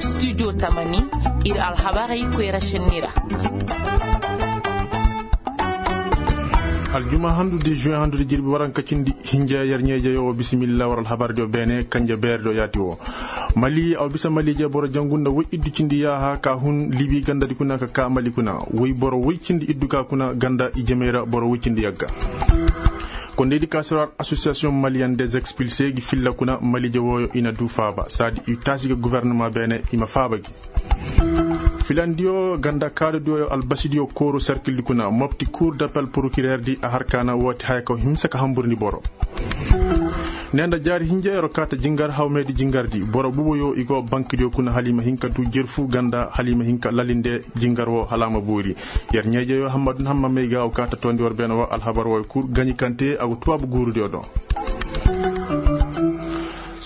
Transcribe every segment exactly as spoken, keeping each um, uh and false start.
Studio tamani, ir alhabarey koyra šenni ra. Aljuma handu de juin handu de jirbi waranka cindi hinja, yer ɲeejeyo wo bisimilla war alhabar diyo beene kanje beere do yaati wo. Mali aw bisa maliije boro jangu nda woy iddu cindi yaaha ka hun libi gandadi kuna ka ka mali kuna woy boro woy cindi iddu ka kuna ganda i jemey ra boro woy cindi yagga. Kondeydi ka sirwar association malian des expilse gi filla kuna maliije wooyo i na du faaba saadi i taasi ga gouvernement beene i ma faaba gi. Filandiyo ganda kaadodiyo yo albasidiyo kooru sarkildi kuna mopti cour d'appel procureur di a har kaana wooti haya kaw himsa ka hamburndi boro. Ne nda jaari hinja yer wo kaata jingar hawmeedi jingardi boro buboyo i go bankidiyo kuna hala i ma hin ka du jerfu ganda hala i ma hin ka lalinde jingar wo hala a ma boori. Yer ɲeejeyo hammadu na hamma may ga wo kaata toondi war beene wo alhabar wo kul gaɲi kante a go tubaabu guurudiyo do.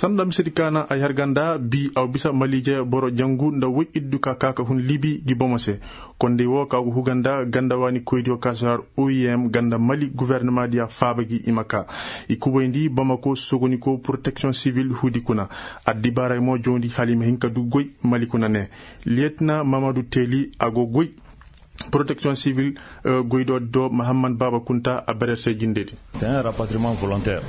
Sanda misedi kaana ay har ganda bi aw bisa maliije boro jangu nda woy iddu ka kaaka hun libi gi bomo se. Kondey wo ka go huga nda ganda waani koydiyo ka si har oim ganda mali guvernemadiya faaba gi i ma ka i kubayndi bamako sogoniko protection sivil huudi kuna. Addibaaray mo joondi hala i ma hin ka du goy mali kuna ne. Liyetina mamadu teeli a go goy protection sivil goydoodi do mahamman baaba kunta a berer se jindedi.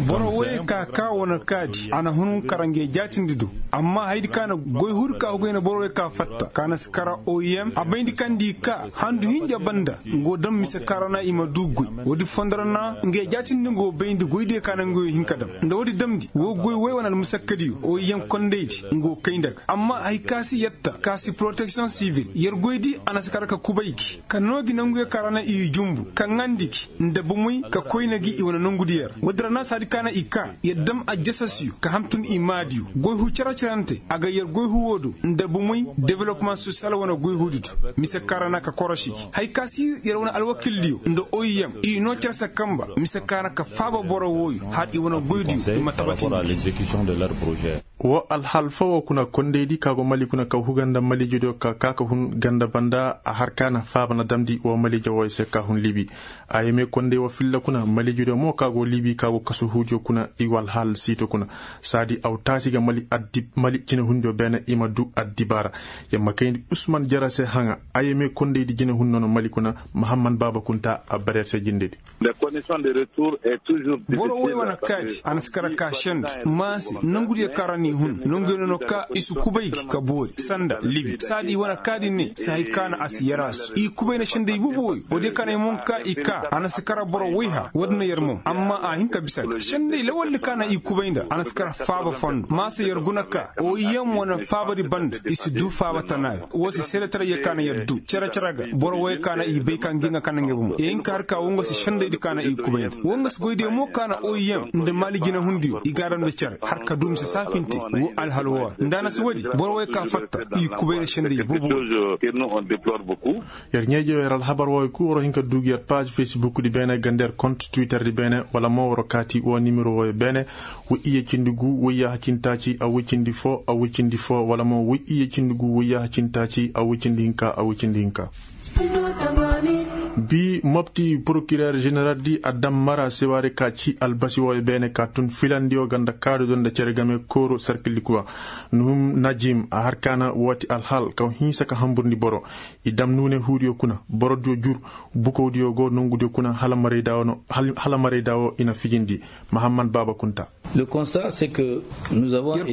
Boro woyey ka ka wane kaadi a na hun kara nge jaatindi do. Amma haydi ka na goy huudi ka hugay na boro woyey ka fatta ka na si kara oim a bayndi kaŋ di ka handu hinja banda ngo daŋ mise ka ra na i ma du goy. Woodi fondo ra na nge jaatindi ngo bayndi goydiyo ka na ngo hin ka daŋ nda woodi damndi wo goy woy wane almusakkadiyo oim kondaydi ngo kay nda ga amma hay ka si yetta ka si protection sivil yer goydi a na si kara ka kubay gi ka noo gi nanguyo ka ra na i jumbu ka ŋaandi gi nda bomey ka koyna gi i wane nongudi yer. Woodi ra na saadi ka na i ka yer dam ajasasiyo ka hamtun i maadiyo goy hu cere-cerante a ga yer goy hu woo do nda bomey development sosiyal wane goy huudi do. Mise ka ra na ka korosi gi hay ka si yer wane alwakildiyo nda oim i noo cere se kamba mise ka na ka faaba boro wooyo hala i wane goydiyo i ma tabatindi gi. Wo alhal foo kuna kondaydi ka go mali kuna ka huga nda maliijediyo ka ka ka hun ganda banda a har ka na faaba na damndi wo maliije wooyo se ka hun libi. Ayeme konday wo filla kuna maliijediyo mo ka go libi ka go kasu huudiyo kuna i go alhal siito kuna. Saadi aw taasi ga mali addi mali jinehundiyo beene i ma du addibaara. Yer ma kayndi usman jara se haŋa ayeme kondaydi jinehun nono mali kuna. Mahamman baaba kunta a bareer se jindedi. Boro woy wane kaadi a na si kara ka sendu maase nongudiyo kaŋ ra n'i hun nonguyo no no ka i si kubay gi ka boori sanda libi saadi i wane kaadi ne si hay ka na a si yaraasu i kubay na senday bubu woy woodiyo kaŋ na ay mo ka i ka a na si kara boro woy ha woodi na yer mo amma a hin ka bisa ga senday lawaldi kaŋ na i kubay nda a na si kara faaba fondo maase yer guna ka oiyem wane faabadi banda i si du faaba tanaayo woo si seedetarayyo kaŋ na yer du cere-cere ga boro woy kaŋ na i bay ka ngi nga kaŋ na ngey bomo i hin ka har ka woo nga si sendaydi kaŋ na i kubayndi woo nga si goydiyo mo kaŋ na oiyem nda maali jinehundiyo i g'a daŋ nda cere har ka du mise saafinte woo alhal woo ra nda a na si woodi boro woy ka fatta i kubayndi senday boobo. Yer ɲeeje yer alhabar wooyo kul war hin ka duugi yer paaz fesbukdi beene ganda yer kont twitterdi beene wala mo war kaati woo nimero wooyo beene. Woy iyye cindi gu woy yaaha cindi taaci a woy cindi foo a woy cindi foo wala mo woy iyye cindi gu woy yaaha cindi taaci a woy cindi hinka a woy cindi hinka. Bi mopti porokirer ženeraldi a dam mara sewaari ka ci albasi wooyo beene ka tun filandiyo ganda kaadu do nda cere game kooro sarkildi kuwa. Nuhum najim a har kaana wooti alhal kaw hinsa ka hamburndi boro. I dam nuune huudiyo kuna borodiyo jur bukowdiyo go nongudiyo kuna hala marayda woo i na fijindi. Mahamman baaba kunta. Yer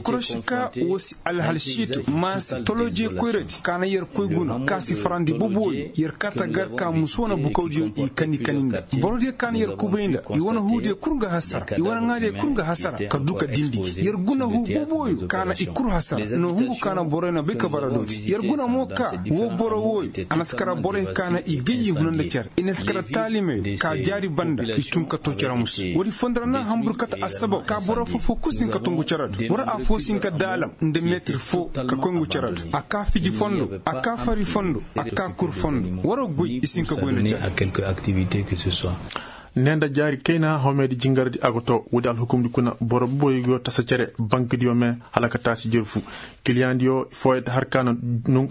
korosi ka woo si alhal siito maasi tolojee koyradi ka na yer koy guna ka si farandi bobooyo yer kata gar ka musu wane bukawdiyo i kani kani nda borodiyo ka na yer kubay nda i wane huudiyo kul nga hasara i wane ŋaadiyo kul nga hasara ka du ka dindi gi yer guna huu bobooyo ka na i kul hasara no hungu ka na boroyo na bay ka bara dooti yer guna mo ka woo boro wooyo a na si kara boroyo ka na i gayyi huna nda cere i na si kara taalimeyo ka jaari banda i tun ka to cere musu woodi fondo ra na hambur kate assabab ka boro foo foo kul si hin ka tungu cere do boro affoo si hin ka daalam nda meetir foo ka koy ngu cere do a kaa fiji fondo a kaa fari fondo a kaa kur fondo waroo goy i si hin ka goy nda cere. Ne nda jaari kayna hawmeedi jingardi a go to woodi alhukumdi kuna boro boboyo go tasa cere bankidiyo me hala ka taasi jerfu kiliyaŋdiyo fooyete har ka na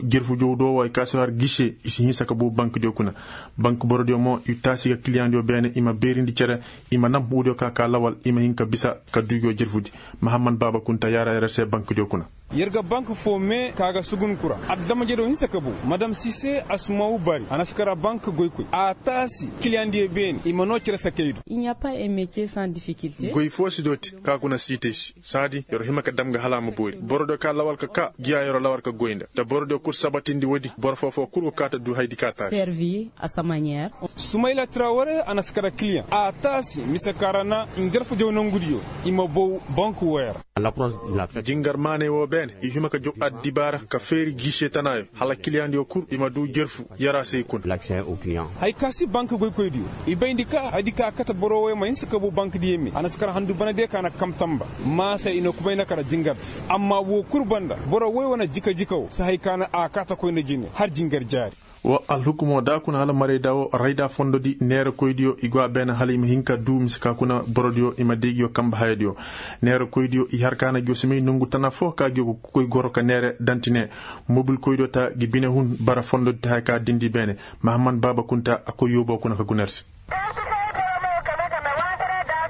jerfu jowdoo wooyo ka si har gise i si hinsa ka buu bankidiyo kuna. Banki borodiyo mo i taasi ga kiliyaŋdiyo beene i ma beerindi cere i ma nam woodiyo ka ka lawal i ma hin ka bisa ka duugiyo jerfudi. Mahamman baaba kunta yaara yara se bankidiyo kuna. Yer ga bank foo mee ka ga sugun kura adama-jadoo hinsa ka bow madam sise asumaawu bari a na si kara bank goykoy a taasi kiliyaŋ diyo beene i ma noo cere sakey do. Goy foo si dooti ka kuna siitay se saadi yer hima ka dam ga hala a ma boori boro diyo ka lawal ka kaa giya yer lawal ka goy nda nda boro diyo kul sabatindi woodi boro foo foo kul go kaa ta duu hayadi ka taasi. Sumayla traware a na si kara kiliyaŋ a taasi mise ka ra na njarfu jaw nongudiyo i ma bow bank wooyo ra. Jingar maaney woo beene i hima ka jaw addibaara ka feeri giise tanaayo hala kiliyaŋdiyo kul i ma duu jerfu yara se i kuna. Haya ka si bank goykoydiyo i bayndi ka hayadi ka a kate boro wooyo ma hinsa ka bow bankdiyo me a na si kara handu banadiyo ka na kam tamba. Maasa i na kubayna kara jingardi amma woo kul banda boro wooyo wane jika jika woo si haya ka na a kaate koyna jine har jingar jaari. Wa alhukumoo da kuna hala marayda woo rayda fondodi neerakoydiyo i go a beene hala i ma hin ka duu mise ka kuna borodiyo i ma day ngiyo kambe hayadiyo. Neerakoydiyo i har ka na ngiyo si may nongu tana foo ka ngiyo ga koy goro ka neere danti ne. Mobilkoydiyo ta ngi bine hun bara fondodi ta haya ka dindi beene. Mahammad baaba kunta a koy yooboo kuna ka guna yer se.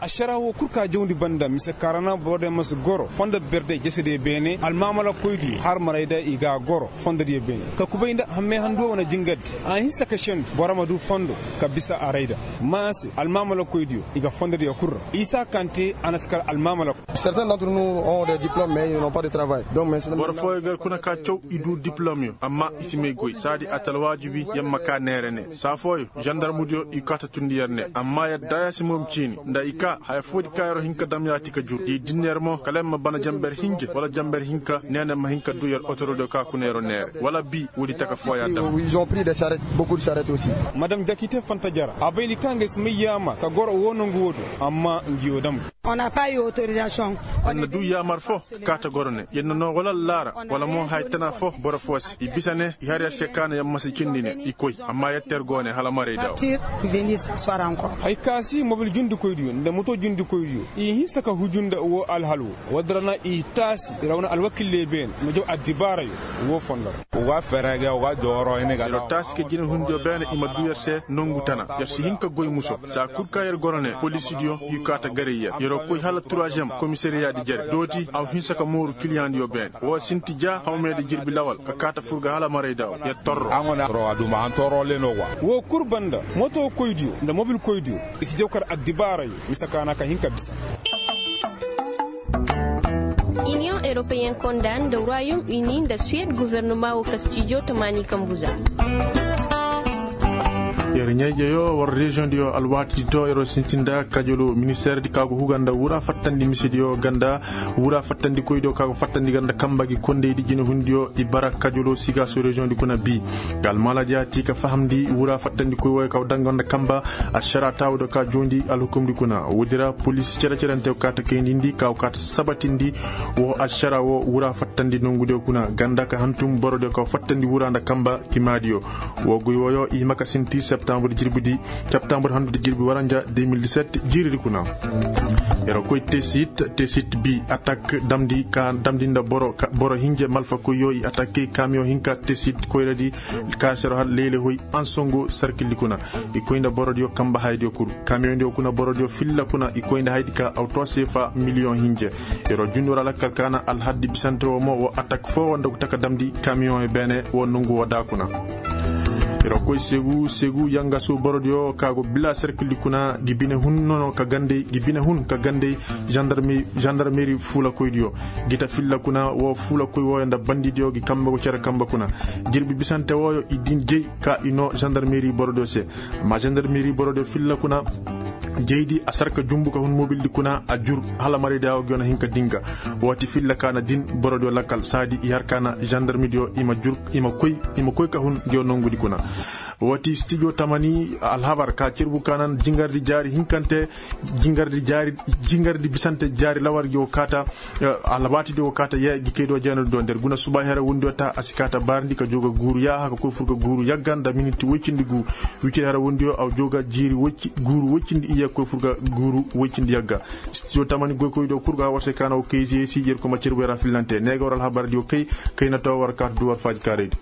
Ašaraa woo kul ka jawndi banda mise ka ra na borodiyo ma si goro fondo berday jesediyo beene almaamalakoydiyo har marayda i ga a goro fondodiyo beene ka kubay nda hammey handuwa wane jingardi a hinsa ka sendu boro ma duu fondo ka bisa a rayda. Maase almaamalakoydiyo i ga fondodiyo kul ra isa kante a na si kar almaamalako. Boro fooyo gar kuna ka caw i duu diplomyo amma i si may goy saadi a ta alwaajibi yer ma kaa neere ne saa fooyo zandarmudiyo i kaa ta tundi yer ne amma yer daaya si moom ciini nda i kaa haya foodi ka yer hin ka dam yaati ka jur i din yer mo kala yer ma bana janber hinja wala janber hinka neene ma hin ka duu yer otorodiyo ka kuna yer neere wala bii woodi taka fooya dam. Madam jakite fanta jara a bay ni ka nga si may yaamar ka goro woo nongu woo do amma ngi yoo dam. Yer na duu yaamar foo ka kaa ta goro ne yer na noo wala laara wala mo haya tana foo boro foo se i bisa ne i har yer se ka na yer ma si cindi ne i koy amma yer ter goo ne hala maray daawo. Haya ka si mobil jundikoydiyo nda moto jundikoydiyo i hinsa ka huju nda woo alhal woo woodi ra na i taasi rawna alwakillee beene ma jaw addibaarayo woo fondo ra. Yer taasi ka jinehundiyo beene i ma duu yer se nongu tana yer si hin ka goy muso saa kul ka yer goro ne polisidiyo i kaa ta garay yer yeroo koy hala turazem komisariyaadi jere dooti a wa hinsa ka mooru kiliyaŋdiyo beene woo sinti ja hawmeedi jirbi lawal ka kaa ta fur ga hala maray daawo yer torro. Woo kul banda motokoydiyo nda mobilkoydiyo i si jaw kar addibaarayo mise ka na ka hin ka bisa. Iniyoŋ eropeyen konda nda royom ini nda suwed gofornoma woo ka stijo tamaani kambu za. Yer ɲaa-ijeyoo war reziyoŋdiyo alwaatidi to yeroo sinti nda kajoloo ministeerdi ka go huga nda wuraa fattandi misediyo ganda wuraa fattandikoydiyo ka go fattandi ganda kamba gi kondaydi jinehundiyo i bara kajoloo sigaaso reziyoŋdi kuna bii. Ga almaala jaati ka fahamndi wuraa fattandikoy wooyo ka go daŋ ganda kamba ašaraa taawudiyo ka joondi alhukumdi kuna woodi ra polis cere-cerenteyo ka ta kayndindi ka go ka ta sabatindi woo ašaraa woo wuraa fattandi nongudiyo kuna ganda ka hantum borodiyo ka go fattandi wuraa nda kamba kimaadiyo. Woo goy wooyo i hima ka sinti septambur jirbidi septambur handudi jirbi waranja deux mille dix-sept jiiridi kuna. Yer koy tesit tesit bi atak damndi ka damndi nda boro hinja malfakoyyo i atakey kamiyoŋ hinka tesit koyradi ka sero har leylehoy ansongo sarkildi kuna. I koy nda borodiyo kamba hayadiyo kul kamiyoŋdiyo kuna borodiyo filla kuna i koy nda hayadi ka awto seefa miliyoŋ hinja. Yeroo jundu ra lakkal ka na alhaddi bisante woo mo woo atak foo woo nda go taka damndi kamiyoŋyo beene woo nongu woo daa kuna. Yeroo koy segu segu yangasu borodiyo ka go bila serkildi kuna gi bine hun nono ka gandey gi bine hun ka gandey zandarmeri fuulakoydiyo. Gi ta filla kuna woo fuulakoy wooyo nda bandidiyo gi kambe go cere kambe kuna. Jirbi bisante wooyo i din jey ka i noo zandarmeri borodiyo se. Amma zandarmeri borodiyo filla kuna jeydi a sarka jumbu ka hun mobildi kuna a jur hala maraydiyo gi yoo na hin ka dinga. Wooti filla ka na din borodiyo lakkal saadi i har ka na zandarmidiyo i ma koy ka hun gi yoo nongudi kuna. Wooti stijo tamani alhabar ka cerbu ka nan jingardi jaari hinkante jingardi bisante jaari lawar gi wo kaata. Alwaatidi wo kaata yee gi kaydiyo jeenadi do nder guna subaa hera wondiyo ta a si kaata baarndi ka joo ga guuru yaaha ka koy fur ga guuru yagga nda miniti woy cindi guu. Wicir hera wondiyo a joo ga jiiri guuru woy cindi iyye ka koy fur ga guuru woy cindi yagga. Stijo tamani goykoydiyo kul go hawar se ka na wo kayziyey si yer kuma cerbu hera fillante ne ga war alhabardiyo kay. Kay na too war kaata du war faaji kaaraydi.